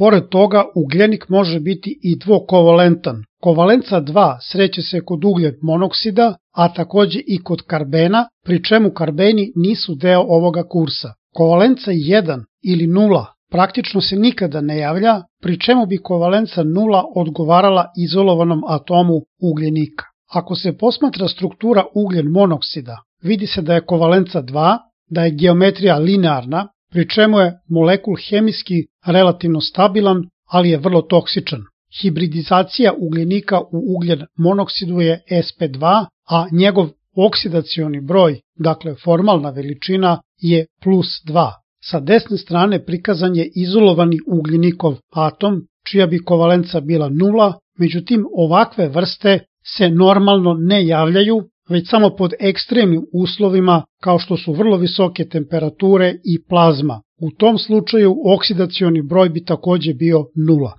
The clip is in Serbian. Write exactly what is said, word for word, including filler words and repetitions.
Pored toga, ugljenik može biti i dvokovalentan. Kovalenca dva sreće se kod ugljen monoksida, a takođe i kod karbena, pri čemu karbeni nisu deo ovoga kursa. Kovalenca jedan ili nula praktično se nikada ne javlja, pri čemu bi kovalenca nula odgovarala izolovanom atomu ugljenika. Ako se posmatra struktura ugljen monoksida, vidi se da je kovalenca dva, da je geometrija linearna, pri čemu je molekul hemijski relativno stabilan, ali je vrlo toksičan. Hibridizacija ugljenika u ugljen monoksidu je S P dva, a njegov oksidacioni broj, dakle formalna veličina, je plus dva. Sa desne strane prikazan je izolovani ugljenikov atom, čija bi kovalenca bila nula, međutim ovakve vrste se normalno ne javljaju, već samo pod ekstremnim uslovima kao što su vrlo visoke temperature i plazma. U tom slučaju oksidacioni broj bi takođe bio nula.